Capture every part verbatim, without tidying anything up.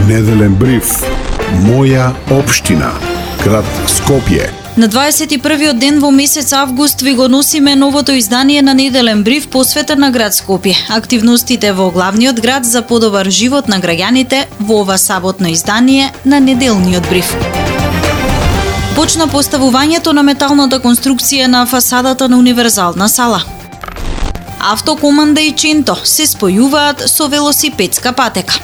Неделен бриф. Моја општина. Град Скопје. На дваесет и првиот ден во месец август ви го носиме новото издание на Неделен бриф посветен на град Скопје. Активностите во главниот град за подобар живот на граѓаните во ова саботно издание на Неделниот бриф. Почна поставувањето на металната конструкција на фасадата на универзална сала. Автокоманда и Ченто се спојуваат со велосипедска патека.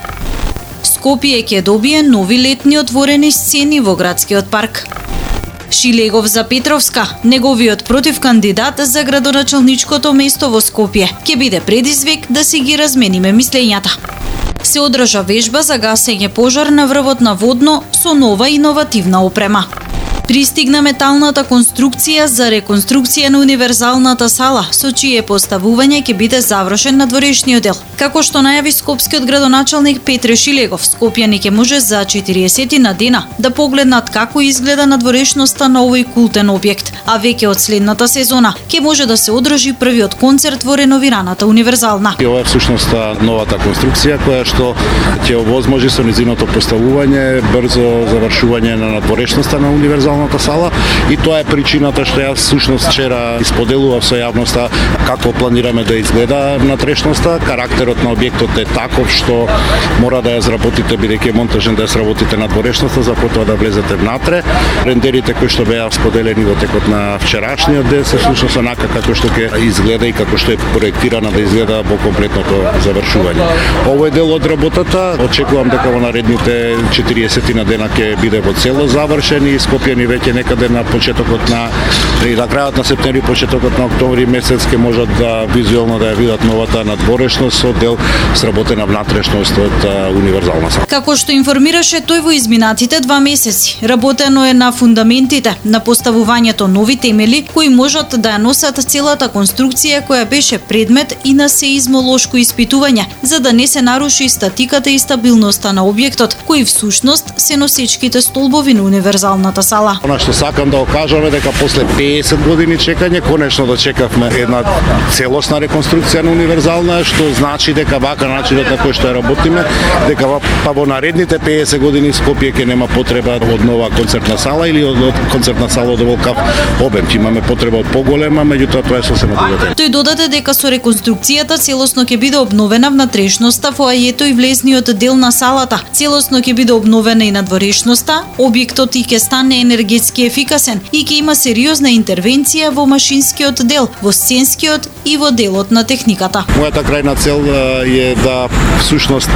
Скопје ќе добие нови летни отворени сцени во градскиот парк. Шилегов за Петровска, неговиот противкандидат за градоначалничкото место во Скопје, ќе биде предизвик да си ги размениме мислењата. Се одржа вежба за гасење пожар на врвот на Водно со нова иновативна опрема. Пристигна металната конструкција за реконструкција на универзалната сала, со чие поставување ќе биде завршен надворешниот дел. Како што најави скопскиот градоначалник Петре Шилегов, скопјани ќе може за четириесет на дена да погледнат како изгледа надворешноста на овој култен објект, а веќе од следната сезона ќе може да се одржи првиот концерт во реновираната универзална. Ова е всушност новата конструкција која што ќе овозможи со низиното поставување брзо завршување на надворешноста на универзалната сала, и тоа е причината што јас всушност вчера исподелував со јавноста како планираме да изгледа натрешноста. Карактерот на објектот е таков што мора да ја изработите, бидејќи е монтажен, да ја сработите надворешноста за потоа да влезете внатре. Рендерите кои што беа споделени во текот на вчерашниот ден се всушност онака како што ќе изгледа и како што е проектирана да изгледа во комплетното завршување. Овој дел од работата очекувам дека во наредните четириесет на дена ќе биде во цело завршен и скопјани веќе некаде на почетокот на и на крајот на септември, почетокот на октомври месец ќе можат да визуелно да ја видат новата надворешност со дел сработена внатрешност од универзална сала. Како што информираше тој во изминатите два месеци, работено е на фундаментите, на поставувањето нови темели кои можат да ја носат целата конструкција која беше предмет и на сеизмолошко испитување, за да не се наруши статиката и стабилноста на објектот, кои всушност се носечките столбови на универзалната сала. Она што сакам да го кажам е дека после песет години чекање конечно дочекавме една целосна реконструкција на универзална, што значи дека вака начинот на кој што ја работиме, дека па во наредните песет години Скопје ќе нема потреба од нова концертна сала или од, од концертна сала од оволкав обем. Ќе имаме потреба од поголема, меѓутоа тоа е сосема друга тема. Тој додаде дека со реконструкцијата целосно ќе биде обновена внатрешноста, фоајето и влезниот дел на салата. Целосно ќе биде обновена и надворешноста, објектот и ќе стане енергетски ефикасен и ќе има сериозна интервенција во машинскиот дел, во сценскиот и во делот на техниката. Мојата крајна цел е да всушност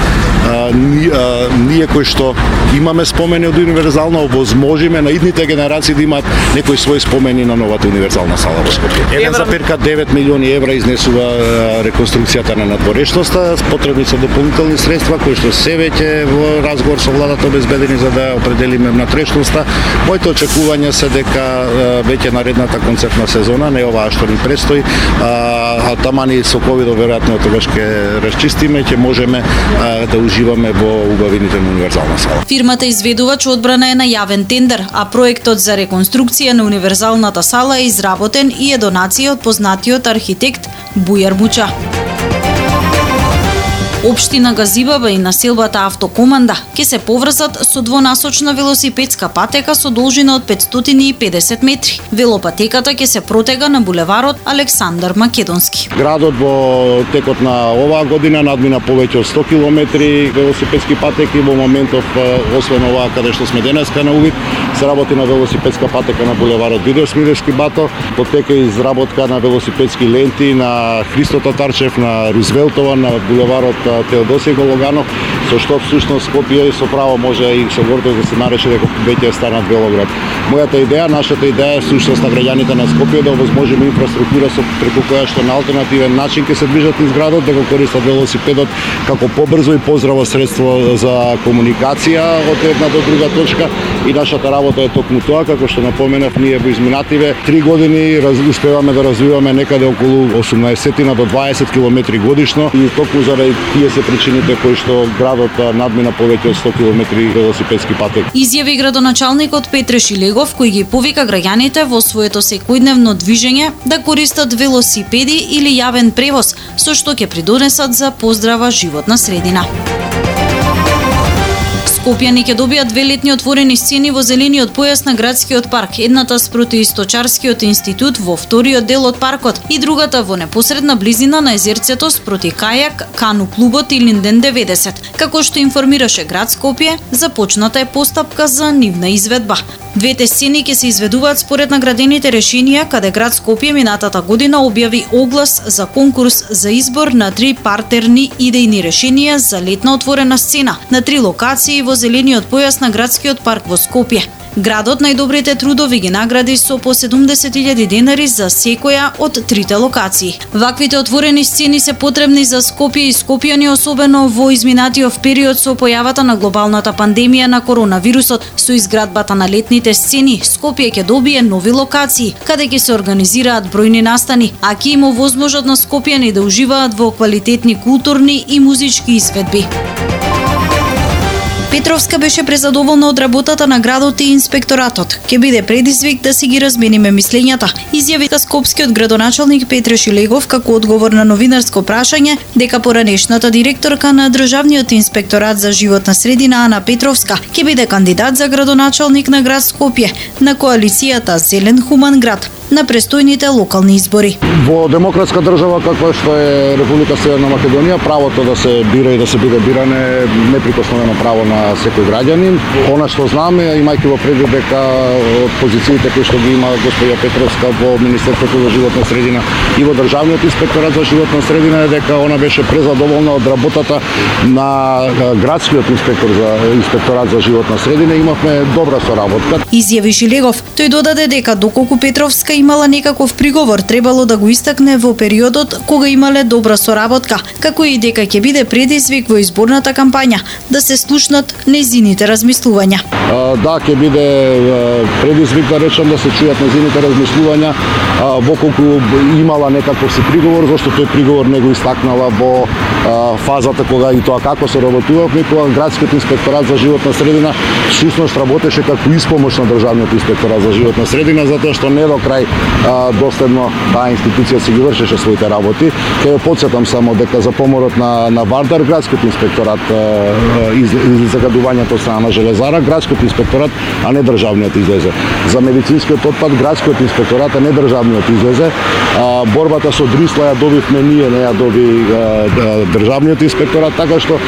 ние кои што имаме спомени од универзална овозможиме на идните генерации да имаат некои своји спомени на новата универзална сала во Скопје. Еден за перка девет милиони евра изнесува реконструкцијата на надворешноста, потребни се дополнителни средства кои што се веќе во разговор со владата обезбедени за да определиме внатрешноста. Моите очекувања се дека веќе наредната концертна сезона, не оваа што ни предстои, а тамани со ковидот веројатно тогаш ќе расчистиме, ќе можеме да уживаме во убавините на универзална сала. Фирмата изведувач одбрана е на јавен тендер, а проектот за реконструкција на универзалната сала е изработен и е донација од познатиот архитект Бујар Муча. Општина Газибаба и населбата Автокоманда ќе се поврзат со двонасочна велосипедска патека со должина од петстотини и педесет метри. Велопатеката ќе се протега на булеварот Александар Македонски. Градот во текот на оваа година надмина повеќе од сто километри велосипедски патеки. Во моментов, освен оваа каде што сме денеска на увид, се работи на велосипедска патека на булеварот Видер Смилевски бато, потека изработка на велосипедски ленти на Христо Татарчев, на Рузвелтова, на булеварот Теодосиј Гологанов, со што всушност Скопје со право може и со гордост да се нарече дека веќе станат велоград. Мојата идеја, нашата идеја е всушност на граѓаните на Скопје да овозможиме инфраструктура со преку која што на алтернативен начин ќе се движат из градот, да го користат велосипедот како побрзо и поздраво средство за комуникација од една до друга точка, и нашата работа е токму тоа, како што напоменав, ние во изминативе три години раз, успеваме да развиваме некаде околу осумнаесет до дваесет километри годишно, и токму заради тие се причините кои што градот надмина повеќе од сто километри велосипедски патек. Изјави градоначалникот Петре Шилегов, кој ги повика граѓаните во своето секојдневно движење да користат велосипеди или јавен превоз, со што ќе придонесат за поздрава животна средина. Скопјани ќе добијат две летни отворени сцени во зелениот појас на градскиот парк, едната спроти Источарскиот институт во вториот дел од паркот и другата во непосредна близина на езерцето спроти кајак, кану клубот и Линден деветдесет. Како што информираше град Скопје, започната е постапка за нивна изведба. Двете сцени ќе се изведуваат според наградените решенија, каде град Скопје минатата година објави оглас за конкурс за избор на три партерни идејни решенија за летна отворена сцена на три локации во зелениот појас на градскиот парк во Скопје. Градот најдобрите трудови ги награди со по седумдесет илјади денари за секоја од трите локации. Ваквите отворени сцени се потребни за Скопје и скопјани, особено во изминатиот период со појавата на глобалната пандемија на коронавирусот. Со изградбата на летните сцени, Скопје ќе добие нови локации, каде ќе се организираат бројни настани, а ќе има возможност на скопјани да уживаат во квалитетни културни и музички изведби. Петровска беше презадоволна од работата на градот и инспекторатот. Ке биде предизвик да си ги размениме мислењата, изјави скопскиот градоначалник Петре Шилегов како одговор на новинарско прашање дека поранешната директорка на Државниот инспекторат за животна средина Ана Петровска ке биде кандидат за градоначалник на град Скопје на коалицијата Зелен хуман град на престојните локални избори. Во демократска држава каква што е Република Северна Македонија, правото да се бира и да се биде биран е неприкосновено право на секој граѓанин. Она што знаме, имајќи во предвид дека од позициите кои што ги има господја Петровска во Министерството за животна средина и во Државниот инспекторат за животна средина, е дека она беше презадоволна од работата на градскиот инспектор за инспекторат за животна средина. Имавме добра соработка. Изјави Шилегов. Тој додаде дека доколку Петровска имала некаков приговор, требало да го истакне во периодот кога имале добра соработка, како и дека ќе биде предизвик во изборната кампања да се слушнат незините размислувања. А, да, ќе биде предизвик да речам да се чујат незините размислувања, а, во колку имала некаков си приговор, зашто тој приговор не го истакнала во а, фазата кога и тоа како се работувавме, кога градскиот инспекторат за животна средина всушност работеше како испомош на Државниот инспекторат за животна средина, затоа што не до крај а, доследно таа институција си ги вршеше своите работи. Ке потсетам само дека за поморот на на Вардар градскиот инспекторат из, из загадувањето страна на Железара, градскиот инспекторат, а не државниот излезе. За медицинскиот отпад градскиот инспекторат, а не државниот излезе. А, борбата со дрисла ја добивме ние, не ја доби а, државниот инспекторат, така што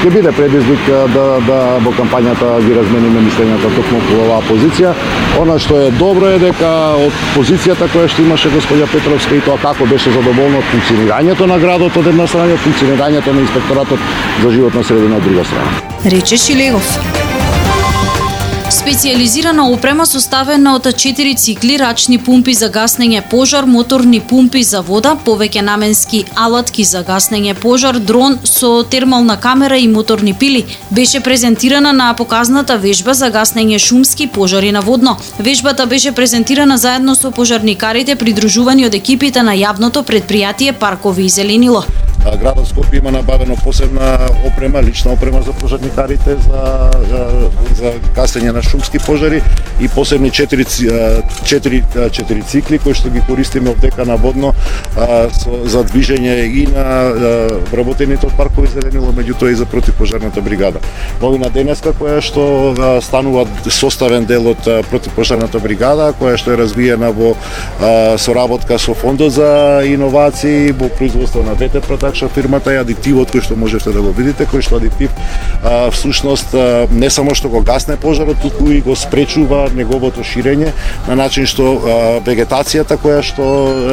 ќе биде предизвик да, да во кампањата ги размениме мислењата токму по оваа позиција. Она што е добро е дека од позицијата која што имаше господја Петровска и тоа како беше задоволна од функционирањето на градот од една страна и функционирањето на инспекторатот за животна средина од друга страна. Рече Шилегов. Специјализирана опрема составена од четири цикли, рачни пумпи за гаснење пожар, моторни пумпи за вода, повеќе наменски алатки за гаснење пожар, дрон со термална камера и моторни пили беше презентирана на показната вежба за гаснење шумски пожари на водно. Вежбата беше презентирана заедно со пожарникарите придружувани од екипите на јавното претпријатие Паркови и зеленило. Градот Скопје има набавено посебна опрема, лична опрема за пожарникарите за, за, за гасење на шумски пожари и посебни четири, четири, четири цикли кои што ги користиме овдека на водно а, со, за движење и на а, вработените од Паркови зеленило, меѓутоа и за противпожарната бригада. Новина денеска која што а, станува составен дел од а, противпожарната бригада, која што е развиена во а, соработка со Фондот за иновации во производство на ветер продакшн фирмата и адитивот кој што можете да го видите, кој што адитив а, всушност а, не само што го гасне пожарот, туку и го спречува неговото ширење на начин што а, вегетацијата која што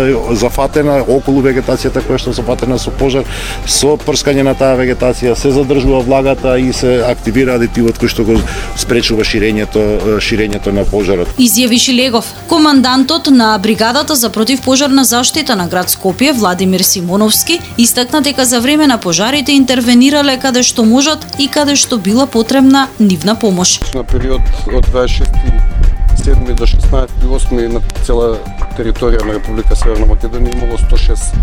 е зафатена, околу вегетацијата која што е зафатена со пожар, со прскање на таа вегетација се задржува влагата и се активира адитивот кој што го спречува ширењето ширењето на пожарот. Изјави Шилегов. Командантот на бригадата за противпожарна заштита на град Скопје Владимир Симоновски истакна дека за време на пожарите интервенирале каде што можат и каде што била потребна нивна помош. На период од дваесет и шести седми до шеснаесети осми на цела територија на Република Северна Македонија имало сто и шест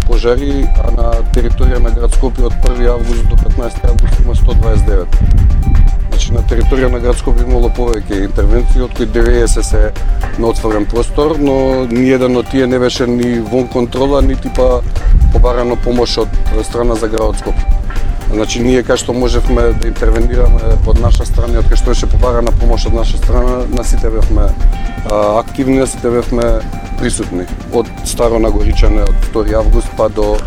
пожари, а на територија на град Скопје од први август до петнаесети август има сто дваесет и девет. Значи на територија на град Скопје имало повеќе интервенции, од кои деветдесет се на отворен простор, но ниеден од тие не беше ни вон контрола, нити па побарано помош од страна за градот Скопје. Значи, ние кај што можевме да интервенираме од наша страна, од кај што беше побарана помош од наша страна, на сите бевме активни, на сите бевме присутни. Од Старо Нагоричане, од втори август па до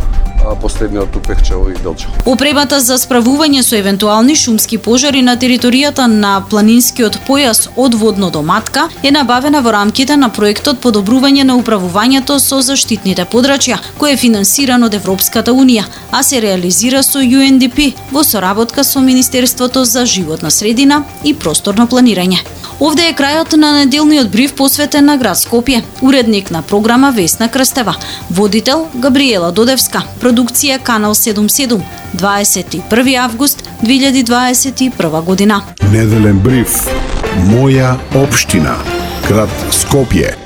последниот у Пехчево и Делчево. Опремата за справување со евентуални шумски пожари на територијата на планинскиот појас од Водно до Матка е набавена во рамките на проектот Подобрување на управувањето со заштитните подрачја, кој е финансиран од Европската Унија, а се реализира со Ю Ен Ди Пи во соработка со Министерството за животна средина и просторно планирање. Овде е крајот на неделниот бриф посветен на град Скопје. Уредник на програма Весна Крстева, водител Габриела Додевска, продукција Канал седумдесет и седум, дваесет и први август две илјади дваесет и прва година. Неделен бриф. Моја општина. Град Скопје.